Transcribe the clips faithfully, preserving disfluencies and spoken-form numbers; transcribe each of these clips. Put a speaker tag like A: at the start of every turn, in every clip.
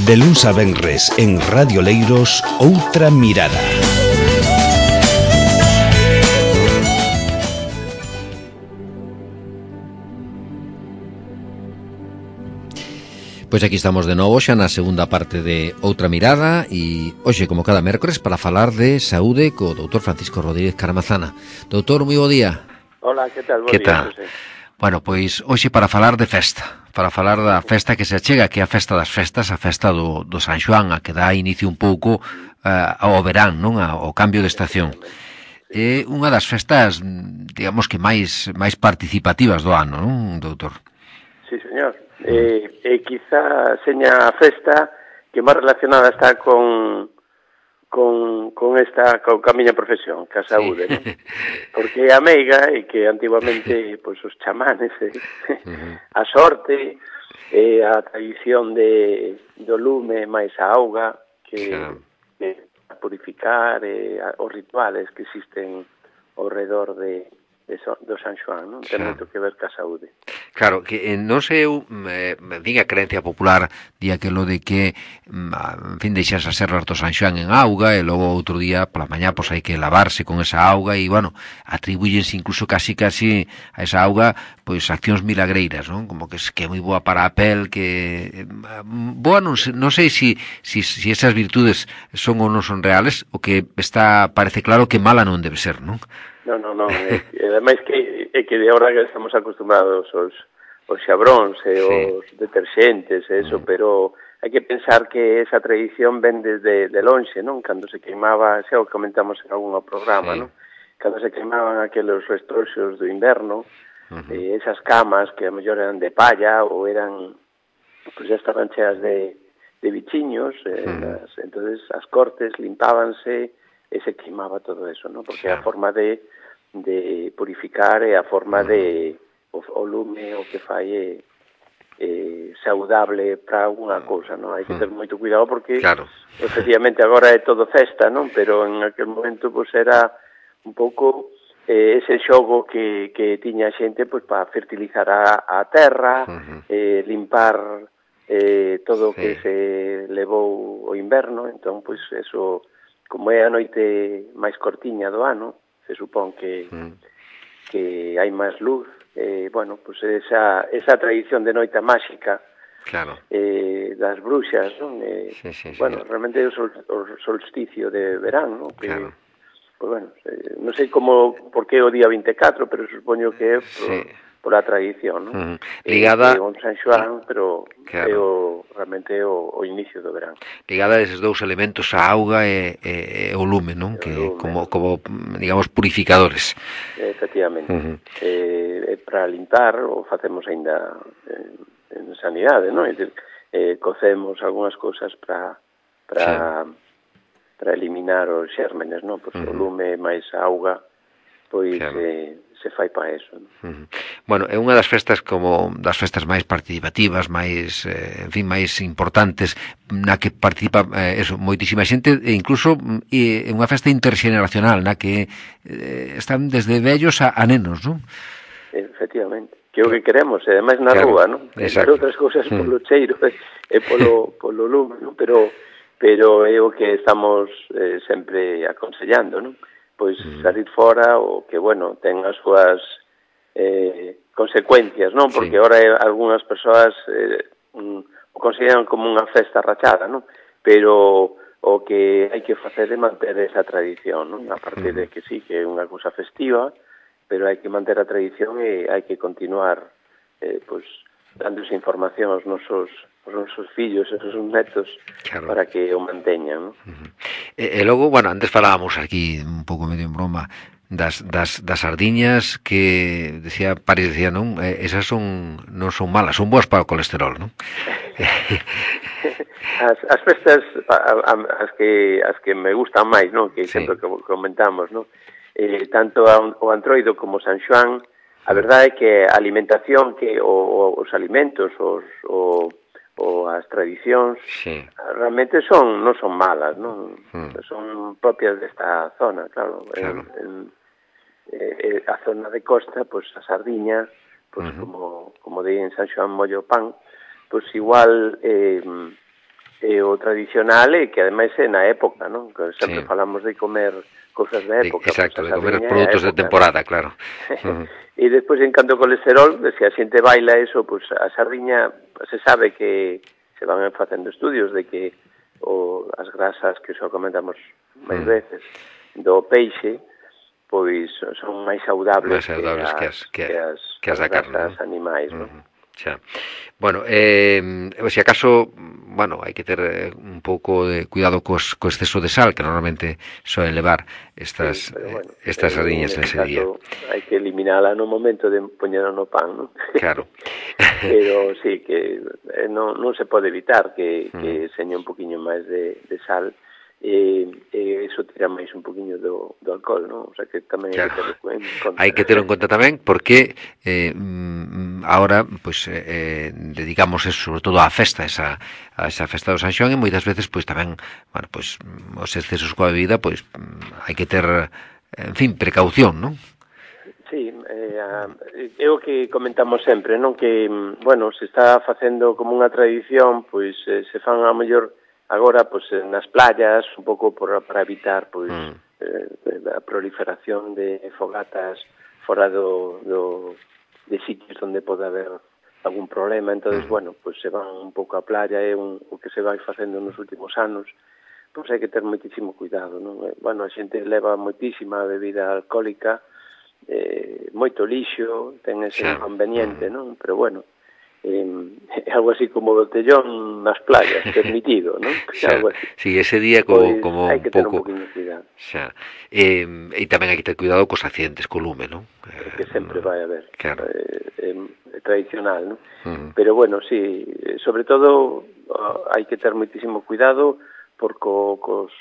A: De luns a venres en Radio Leiros, Outra Mirada.
B: Pois aquí estamos de novo xa na segunda parte de Outra Mirada e hoxe, como cada mércores, para falar de saúde co doutor Francisco Rodríguez Caramazana. Doutor, moi bo día.
C: Hola, que tal? Bo
B: que
C: día,
B: tal? José. Bueno, pois hoxe para falar de festa, para falar da festa que se achega, que é a festa das festas, a festa do, do San Xoán, a que dá inicio un pouco uh, ao verán, non? Ao cambio de estación. É unha das festas, digamos que máis máis participativas do ano, non, doutor?
C: Sí, señor. E eh, eh, quizá seña a festa que máis relacionada está con con, con esta con a miña profesión, que a saúde, sí. ¿No? Porque a meiga e que antigamente pois os chamanes, eh, uh-huh. a sorte, eh, a tradición de do lume máis a auga que, claro. que a purificar, eh, a, os rituales que existen ao redor de do San Xoán, non? Ten claro. moito que ver ca saúde.
B: Claro, que eh, non sei eu, eh, din a creencia popular, di aquelo de que, en fin, deixas as serras do San Xoán en auga e logo outro día, pola mañá, pois hai que lavarse con esa auga e, bueno, atribúyense incluso casi casi a esa auga, pois, accións milagreiras, non? Como que, que é moi boa para a pel, que... Boa, non sei, non sei si, si, si esas virtudes son ou non son reales, o que está, parece claro que mala non debe ser, non?
C: Non, non, non, é, é, ademais que, é que de ahora que estamos acostumbrados aos, aos xabróns e os sí. deterxentes e eso, mm. pero hai que pensar que esa tradición ven desde de lonxe, non? Cando se queimaba, xa o comentamos en algún programa, sí. non? Cando se queimaban aqueles restorxos do inverno, uh-huh. eh, esas camas que a mellor eran de palla ou eran, pues ya estaban cheas de, de bichiños, eh, uh-huh. las, entonces as cortes limpábanse e se queimaba todo eso, non? Porque é a forma de de purificar e a forma de o, o lume o que fai é, é saudable para alguna cousa, non? Hai que ter moito cuidado porque claro. efectivamente agora é todo festa, non? Pero en aquel momento pois era un pouco eh, ese xogo que, que tiña a xente pois para fertilizar a, a terra, uh-huh. eh, limpar eh, todo o sí. que se levou o inverno, entón pois eso, como é a noite máis cortiña do ano, se supón que, mm. que hai máis luz, eh, bueno, pues esa, esa tradición de noite máxica claro. eh, das bruxas, non? Eh, sí, sí, bueno, sí. realmente é o, sol, o solsticio de verán, non? Que, claro. Pues bueno, eh, non sei como, por que o día vinte e catro, pero supoño que é por, sí. por a tradición, non? Mm.
B: Ligada...
C: Eh, é un San Xoán, pero claro. é o, realmente é o, o inicio do verán.
B: Ligada a eses dous elementos, a auga e, e, e o lume, non? Que lume. como, como, digamos, purificadores.
C: Efectivamente. Uh-huh. Eh, para limpar, o facemos aínda en, en sanidade, non? É dicir, eh, cocemos algunhas cousas para para sí. para eliminar os xérmenes, non? Pois uh-huh. o lume máis a auga, pois claro. eh, se fai para eso, non?
B: Uh-huh. Bueno, é unha das festas como das festas máis participativas, máis, eh, en fin, máis importantes, na que participa eh, eso, moitísima xente, e incluso é unha festa interxeneracional, na que eh, están desde vellos a, a nenos, non?
C: Efectivamente, que é o que queremos, e ademais na claro. rúa, non? Entre outras cousas polo cheiro e, e polo, polo lume, non? Pero, pero é o que estamos eh, sempre aconsellando, non? Pois salir fora o que, bueno, ten as súas eh, consecuencias, non? Porque sí. ahora algunhas persoas eh, um, o consideran como unha festa rachada, non? Pero o que hai que facer é manter esa tradición, non? A partir de que sí, que é unha cousa festiva, pero hai que manter a tradición e hai que continuar eh, pois, dando esa información aos nosos os nosos fillos, esos netos, claro. para que o manteñan, non?
B: Uh-huh. E, e logo, bueno, antes falábamos aquí un pouco medio en broma das, das, das sardiñas que decía París, decía, non? Eh, esas son non son malas, son boas para o colesterol, non?
C: as, as festas a, a, as que as que me gustan máis, non? Que sí. sempre que comentamos, non? Eh, tanto a, o Antroido como San Xoán, a verdade é que a alimentación que o, o, os alimentos, os o ou as tradicións sí. realmente son non son malas, non? Mm. Son propias desta zona, claro. claro. En, en, eh, a zona de costa, pois pues, a sardiña, pois pues, uh-huh. como como di en San Xoán mollo pan, pois pues, igual eh, E o tradicional é que ademais é na época, non? Que sempre
B: sí.
C: falamos de comer cousas da época.
B: Exacto,
C: pues,
B: de comer produtos de temporada, claro. Uh-huh.
C: E despois, en canto ao colesterol, se a xente baila eso, pues a sardiña, se sabe que se van facendo estudios de que o as grasas, que xa comentamos máis uh-huh. veces, do peixe, pois son máis saudables,
B: máis saudables que as, que,
C: que as,
B: que as,
C: as
B: da carne,
C: grasas
B: ¿no?
C: animais,
B: uh-huh.
C: non?
B: Xa. Bueno, eh, se acaso, bueno, hai que ter un pouco de cuidado cos, co exceso de sal que normalmente soen levar estas sí, bueno, estas sardiñas en ese día.
C: Hai que eliminala no momento de poñerla no pan, non?
B: Claro.
C: Pero sí, que non, non se pode evitar que, mm. que seña un poquinho máis de, de sal, e, e iso tira máis un poquinho do, do alcohol, non? O sea que tamén
B: claro.
C: hai que ter en conta.
B: Hai que ter en conta tamén porque eh, ahora pues, eh, dedicamos eso, sobre todo á festa, esa, a esa festa do San Xoán, e moitas veces pues, tamén, bueno, pues, os excesos coa bebida, pues, hai que ter, en fin, precaución, non?
C: Sí, eh, é o que comentamos sempre, non? Que, bueno, se está facendo como unha tradición, pois eh, se fan a mellor agora, pois, nas playas, un pouco por, para evitar, pois, mm. eh, a proliferación de fogatas fora do, do, de sitios onde pode haber algún problema. Entonces, mm. bueno, pois se van un pouco á playa, é un, o que se vai facendo nos últimos anos, pois hai que ter moitísimo cuidado, non? Bueno, a xente leva moitísima bebida alcohólica, eh, moito lixo, ten ese sí. inconveniente, mm. non? Pero bueno, eh, é algo así como botellón nas playas, permitido, non?
B: Xa, sí, ese día co,
C: pois,
B: como
C: hai que
B: un pouco...
C: ter un poquinho de cuidado.
B: Xa. Eh, e tamén hai que ter cuidado cos accidentes co lume, non?
C: É que sempre vai haber.
B: Claro.
C: É, é tradicional, non?
B: Uh-huh.
C: Pero bueno, sí, sobre todo hai que ter moitísimo cuidado por co, cos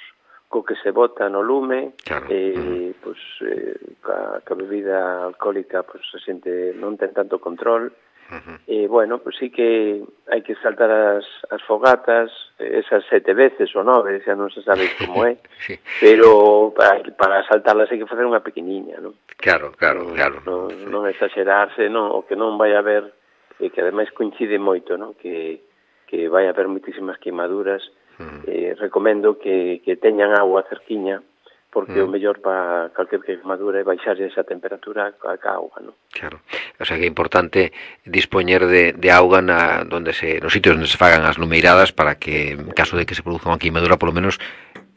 C: co que se bota no lume,
B: claro.
C: e
B: uh-huh.
C: pues, eh, ca, ca bebida alcohólica pues, a xente non ten tanto control. Uh-huh. E, bueno, pues sí que hai que saltar as, as fogatas, esas sete veces ou nove, xa non se sabe como é, sí. pero para, para saltarlas hai que facer unha pequeniña, non?
B: Claro, claro,
C: non,
B: claro.
C: Non, sí. non exagerarse, non, o que non vai haber, e que ademais coincide moito, non? Que, que vai haber moitísimas queimaduras. Uh-huh. eh, recomendo que, que teñan agua cerquiña, porque uh-huh. o mellor para calquer queimadura é baixar esa temperatura ca auga, non?
B: Claro. O sea que é importante dispoñer de, de auga na, donde se, nos sitios onde se fagan as lumeiradas para que, en caso de que se produza unha queimadura, polo menos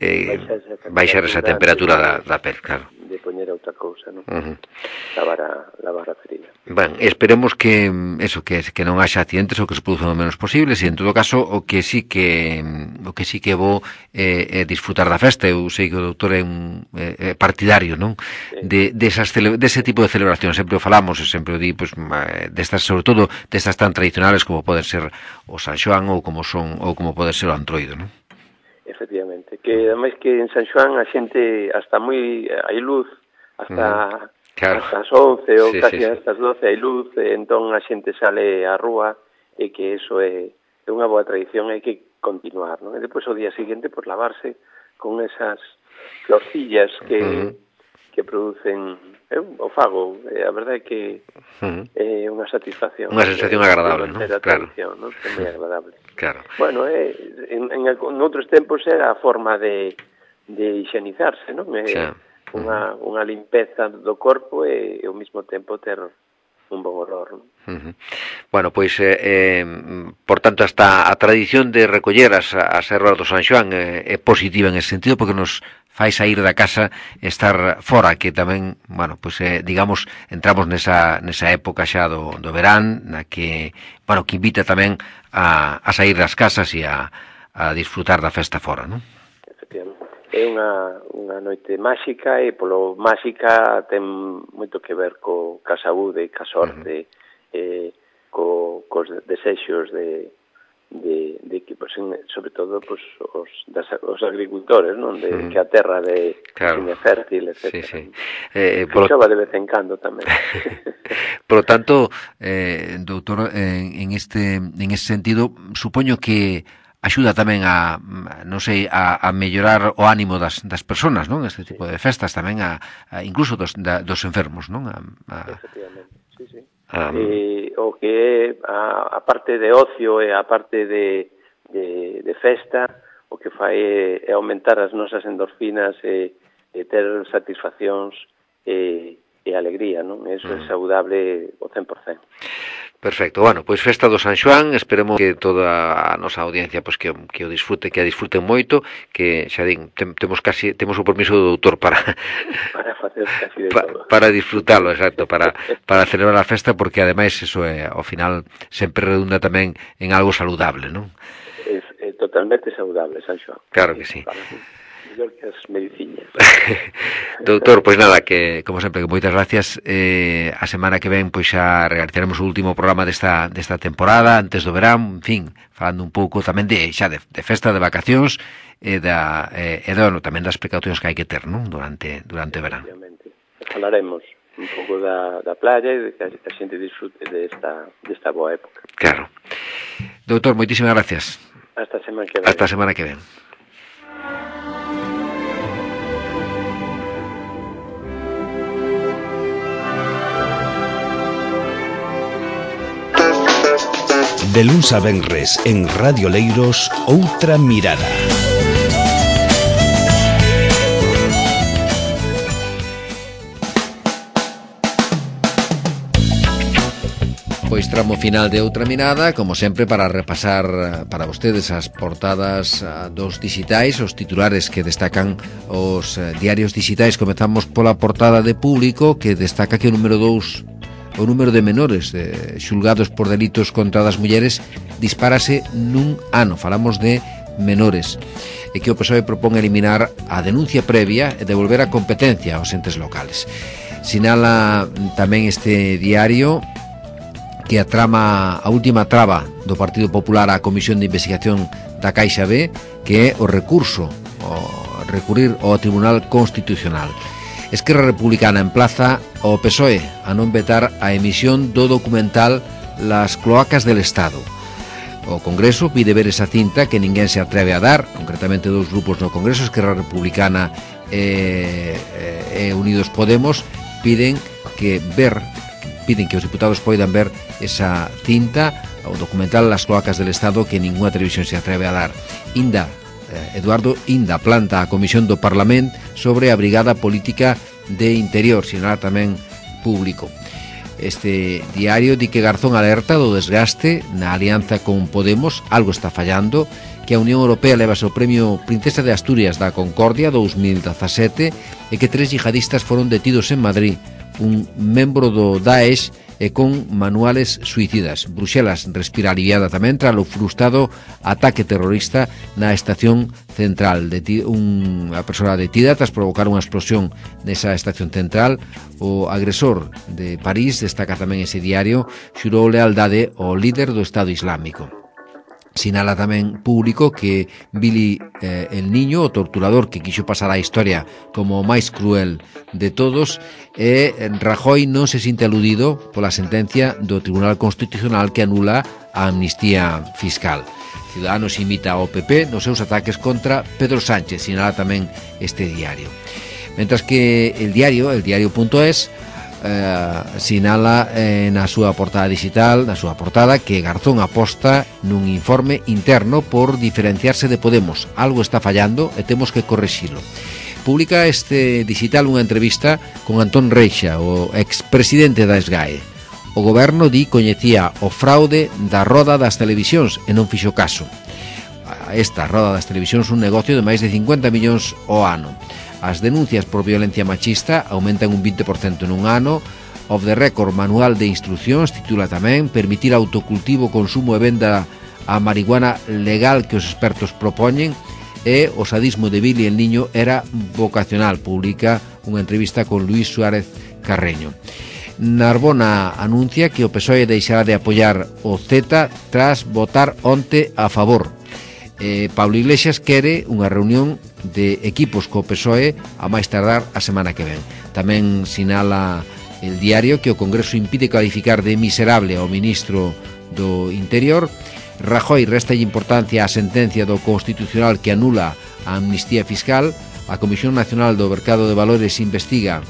B: eh, baixar esa temperatura da, da pel, claro.
C: De poñer outra cousa, non?
B: Uh-huh.
C: Lavar a, lavar a ferida.
B: Ben, esperemos que eso, que, que non haxa accidentes ou que se produzan o menos posibles, e en todo caso o que sí que o que sí que vou é eh, disfrutar da festa. Eu sei que o doutor é un eh, partidario, non? Sí. De, de, esas cele, de ese tipo de celebracións, sempre o falamos, e sempre o di, pues, destas, sobre todo destas tan tradicionales como poden ser o San Xoán ou como son ou como pode ser o Antroido, non?
C: Efectivamente, que ademais que en San Xoán a xente hasta moi hai luz, hasta mm. Claro. Hasta as once ou sí, casi sí, sí. hasta as doce hai luz, e entón a xente sale á rúa, e que eso é, é unha boa tradición, hai que continuar, non? E depois o día seguinte, por pues, lavarse con esas florcillas que, uh-huh. que producen, eu o fago, e a verdade é que uh-huh. é unha satisfacción.
B: Unha sensación agradable, non? Claro.
C: ¿no? É moi agradable.
B: Claro.
C: Bueno, é, en, en, en outros tempos era a forma de, de higienizarse, non? É, sí. Unha, unha limpeza do corpo e, e ao mesmo tempo ter un bon olor, non?
B: Uh-huh. Bueno, pois, eh, eh, por tanto, hasta a tradición de recoller as, as ervas do San Xoán eh, é positiva en ese sentido, porque nos fai sair da casa e estar fora, que tamén, bueno, pois, eh, digamos, entramos nesa, nesa época xa do, do verán, na que, bueno, que invita tamén a, a sair das casas e a, a disfrutar da festa fora, non?
C: Efectivamente. É unha, unha noite máxica, e polo máxica ten moito que ver co, ca saúde, ca sorte, uh-huh. eh, co, cos desexos de, de, de que, pues, sobre todo, pues, os, das, os agricultores, non? De, uh-huh. que a terra de claro. é fértil, etcétera. Sí, sí. Eh, que chova de vez en cando tamén.
B: Por lo tanto, eh, doutor, en, en, este, en este sentido, supoño que axuda tamén a, non sei, a, a mellorar o ánimo das, das persoas, non? Este tipo sí. de festas tamén, a, a incluso dos, da, dos enfermos, non? A, a...
C: Efectivamente, sí, sí. Um... E, o que é a, a parte de ocio e a parte de, de, de festa, o que fai é, é aumentar as nosas endorfinas e, e ter satisfaccións e, e alegría, non? Eso mm. é saudable ao cen por cen.
B: Perfecto, bueno, pois festa do San Xoán, esperemos que toda a nosa audiencia pois que, que o disfrute, que a disfruten moito, que xa din, tem, temos casi temos o permiso do doutor para
C: para facer casi de
B: pa,
C: todo.
B: Para disfrutalo, exacto, para para celebrar a festa, porque ademais eso é ao final sempre redunda tamén en algo saludable, non?
C: É, é totalmente saudable, San Xoán.
B: Claro que sí.
C: Mellor que as mediciñas.
B: Doutor, pois nada, que como sempre, que moitas gracias. Eh, a semana que ven pois xa realizaremos o último programa desta desta temporada antes do verán, en fin, falando un pouco tamén de xa de, de festa, de vacacións e da eh, e do, tamén das precaucións que hai que ter, non? Durante durante o verán.
C: Falaremos un pouco da da playa e de que a xente disfrute desta desta boa época.
B: Claro. Doutor, moitísimas gracias.
C: Hasta a semana que ven.
B: Hasta a semana que ven.
A: De luns a venres en Radio Leiros, Outra Mirada.
B: Pois tramo final de Outra Mirada, como sempre, para repasar para vostedes as portadas dos dixitais, os titulares que destacan os diarios dixitais. Comezamos pola portada de Público, que destaca que o número dous, o número de menores de, xulgados por delitos contra das mulleres dispárase nun ano. Falamos de menores, e que o P S O E propón eliminar a denuncia previa e devolver a competencia aos entes locales. Sinala tamén este diario que a trama, a última traba do Partido Popular á Comisión de Investigación da Caixa B, que é o recurso, o recurrir ao Tribunal Constitucional. Esquerra Republicana emplaza ao P S O E a non vetar a emisión do documental Las cloacas del Estado. O Congreso pide ver esa cinta que ninguén se atreve a dar, concretamente dous grupos no Congreso, Esquerra Republicana e, e Unidos Podemos, piden que ver piden que os diputados poidan ver esa cinta, o documental Las cloacas del Estado, que ninguna televisión se atreve a dar. Inda, eh, Eduardo Inda planta a Comisión do Parlamento sobre a Brigada Política de Interior, sinala tamén Público. Este diario di que Garzón alerta do desgaste na alianza con Podemos, algo está fallando, que a Unión Europea levase o premio Princesa de Asturias da Concordia dous mil dezasete e que tres yihadistas foron detidos en Madrid, un membro do Daesh e con manuales suicidas. Bruxelas respira aliviada tamén tras o frustrado ataque terrorista na estación central. Deti- unha persoa detida tras provocar unha explosión nesa estación central. O agresor de París, destaca tamén ese diario, xurou lealdade ao líder do Estado Islámico. Sinala tamén Público que Billy eh, el Niño, o torturador que quixo pasar a historia como o máis cruel de todos, e Rajoy non se sinte aludido pola sentencia do Tribunal Constitucional que anula a amnistía fiscal. Ciudadanos imita ao P P nos seus ataques contra Pedro Sánchez, sinala tamén este diario. Mentras que el diario, el diario.es, Eh, sinala eh, na súa portada digital, na súa portada, que Garzón aposta nun informe interno por diferenciarse de Podemos. Algo está fallando e temos que correxilo. Publica este digital unha entrevista con Antón Reixa, o expresidente da SGAE. O goberno di coñecía o fraude da roda das televisións e non fixo caso. Esta roda das televisións un negocio de máis de cincuenta millóns ao ano. As denuncias por violencia machista aumentan un vinte por cento nun ano. Of the record, manual de instruccións, titula tamén permitir autocultivo, consumo e venda a marihuana legal que os expertos propoñen, e o sadismo de Billy el Niño era vocacional. Publica unha entrevista con Luis Suárez Carreño. Narbona anuncia que o P S O E deixará de apoiar o Z tras votar onte a favor. Eh, Pablo Iglesias quere unha reunión de equipos co P S O E a máis tardar a semana que ven. Tamén sinala el diario que o Congreso impide calificar de miserable ao ministro do Interior. Rajoy resta importancia á sentencia do Constitucional que anula a amnistía fiscal. A Comisión Nacional do Mercado de Valores investiga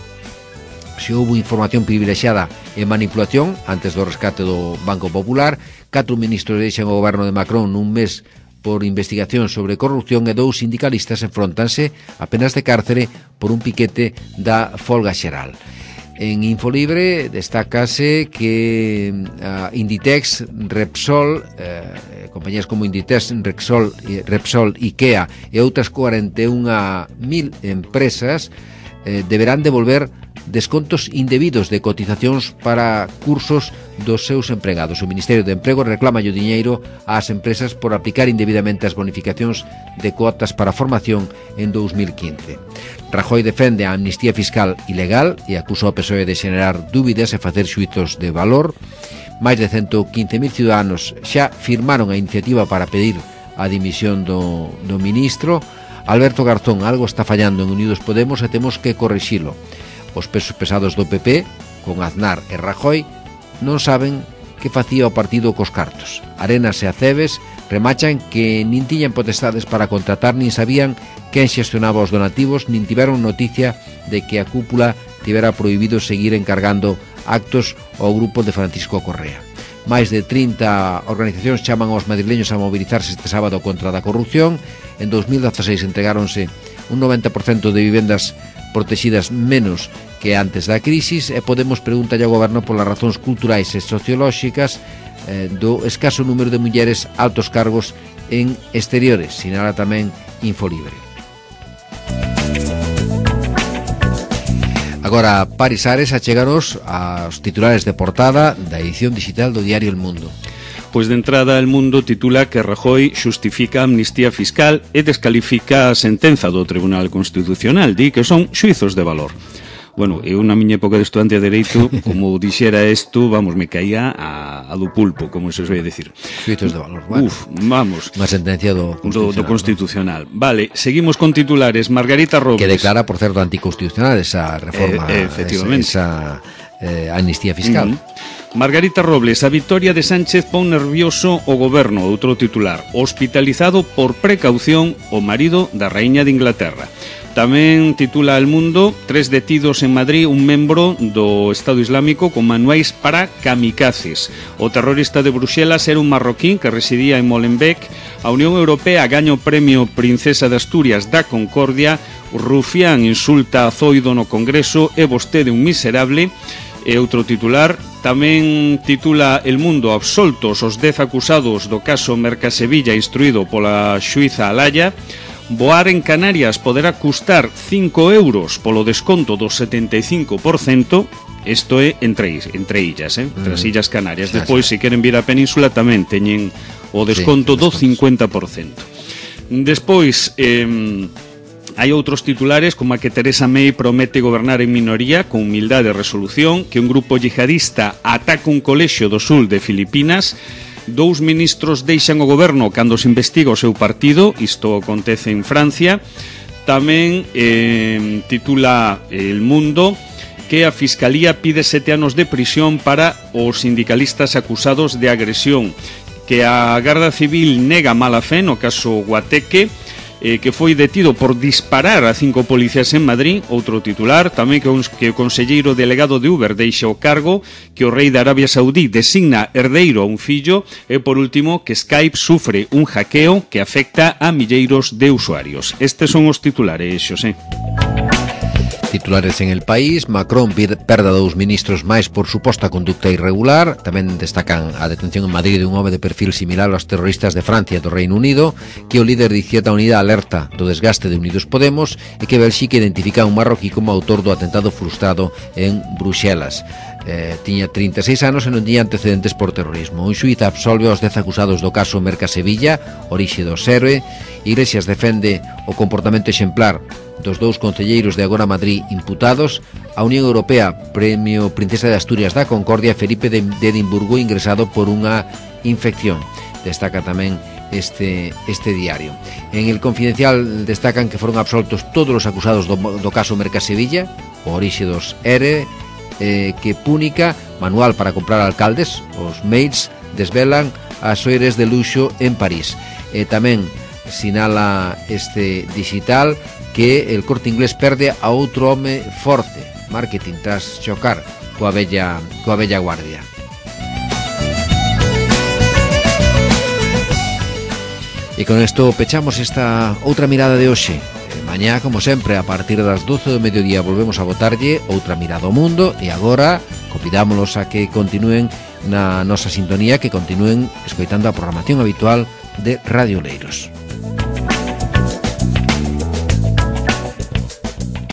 B: se houbo información privilexiada e manipulación antes do rescate do Banco Popular. Catro ministros deixan o goberno de Macron nun mes por investigación sobre corrupción e dous sindicalistas enfrontanse a penas de cárcere por un piquete da folga xeral. En Infolibre destácase que a Inditex, Repsol, eh, compañías como Inditex, Repsol, Repsol, IKEA e outras cuarenta e un mil empresas eh, deberán devolver descontos indebidos de cotizacións para cursos dos seus empregados. O Ministerio de Emprego reclama o diñeiro ás empresas por aplicar indebidamente as bonificacións de cuotas para formación en dous mil quince. Rajoy defende a amnistía fiscal ilegal e acusa ao P S O E de xenerar dúbidas e facer xuizos de valor. Máis de ciento quince mil ciudadanos xa firmaron a iniciativa para pedir a dimisión do, do ministro. Alberto Garzón, algo está fallando en Unidos Podemos e temos que corrixilo. Os pesos pesados do P P, con Aznar e Rajoy, non saben que facía o partido cos cartos. Arenas e Aceves remachan que nin tiñan potestades para contratar, nin sabían quen xestionaba os donativos, nin tiveron noticia de que a cúpula tivera prohibido seguir encargando actos ao grupo de Francisco Correa. Máis de trinta organizacións chaman aos madrileños a mobilizarse este sábado contra a corrupción. En dos mil dieciséis entregáronse un noventa por cento de vivendas protegidas menos que antes da crisis e Podemos pregunta ao goberno polas razóns culturais e sociolóxicas eh, do escaso número de mulleres altos cargos en exteriores, sinala tamén Infolibre. Agora, Paris Ares, acheganos aos titulares de portada da edición digital do diario El Mundo.
D: Pois de entrada El Mundo titula que Rajoy xustifica a amnistía fiscal e descalifica a sentenza do Tribunal Constitucional, di que son xuizos de valor. Bueno, eu na miña época de estudante de Dereito, como dixera isto, vamos, me caía a, a do pulpo, como se soe decir.
B: Xuizos de valor, bueno.
D: Uf, vamos.
B: Unha sentencia do Constitucional.
D: Do, do Constitucional. ¿No? Vale, seguimos con titulares. Margarita Robles.
B: Que declara, por certo, anticonstitucional esa reforma,
D: eh, efectivamente.
B: esa, esa eh, amnistía fiscal.
D: Uh-huh. Margarita Robles, a victoria de Sánchez pon nervioso o goberno, outro titular. Hospitalizado por precaución o marido da raíña de Inglaterra. Tamén titula El Mundo, tres detidos en Madrid, un membro do Estado Islámico con manuais para kamikazes. O terrorista de Bruxelas era un marroquín que residía en Molenbeek. A Unión Europea gaña o premio Princesa de Asturias da Concordia. O rufián insulta a Zoido no Congreso e vostede un miserable. E outro titular, tamén titula El Mundo, absoltos os dez acusados do caso Mercasevilla instruído pola xuíza Alaya. Voar en Canarias poderá custar cinco euros polo desconto do setenta e cinco por cento. Isto é entre, entre illas, eh? entre as Illas Canarias. Despois, se queren vir á península, tamén teñen o desconto do cincuenta por cento. Despois... Eh, hai outros titulares como a que Teresa May promete gobernar en minoría con humildade e resolución, que un grupo yihadista ataca un colexio do sul de Filipinas, dous ministros deixan o goberno cando se investiga o seu partido, isto acontece en Francia. Tamén eh, titula El Mundo que a Fiscalía pide sete anos de prisión para os sindicalistas acusados de agresión, que a Garda Civil nega mala fe no caso Guateque, Eh, que foi detido por disparar a cinco policías en Madrid. Outro titular, tamén que, un, que o conselleiro delegado de Uber deixa o cargo, que o rei de Arabia Saudí designa herdeiro a un fillo, e por último que Skype sufre un hackeo que afecta a milleiros de usuarios. Estes son os titulares, Xosé.
B: Titulares en El País, Macron perda dous ministros máis por suposta conducta irregular. Tamén destacan a detención en Madrid de un home de perfil similar aos terroristas de Francia e do Reino Unido, que o líder de Izquierda Unida alerta do desgaste de Unidos Podemos e que Bélxica identifica a un marroquí como autor do atentado frustrado en Bruxelas. Eh, tiña trinta e seis anos e non tiña antecedentes por terrorismo. Un xuíz absolve aos dez acusados do caso Mercasevilla, orixe do Serve. Iglesias defende o comportamento exemplar dos dous concelleiros de Agora Madrid imputados. A Unión Europea premio Princesa de Asturias da Concordia Felipe de Edimburgo ingresado por unha infección. Destaca tamén este, este diario. En El Confidencial destacan que foron absoltos todos os acusados do, do caso Mercasevilla, o orixe dos E R E, eh, que Púnica, manual para comprar alcaldes, os mails desvelan as soires de luxo en París. E tamén sinala este digital que el Corte Inglés perde a outro home forte, marketing tras chocar coa bella, coa bella guardia. E con isto pechamos esta outra mirada de hoxe. E mañá, como sempre, a partir das doce do mediodía volvemos a botarlle outra mirada ao mundo, e agora convidámolos a que continúen na nosa sintonía, que continúen escoitando a programación habitual de Radio Oleiros.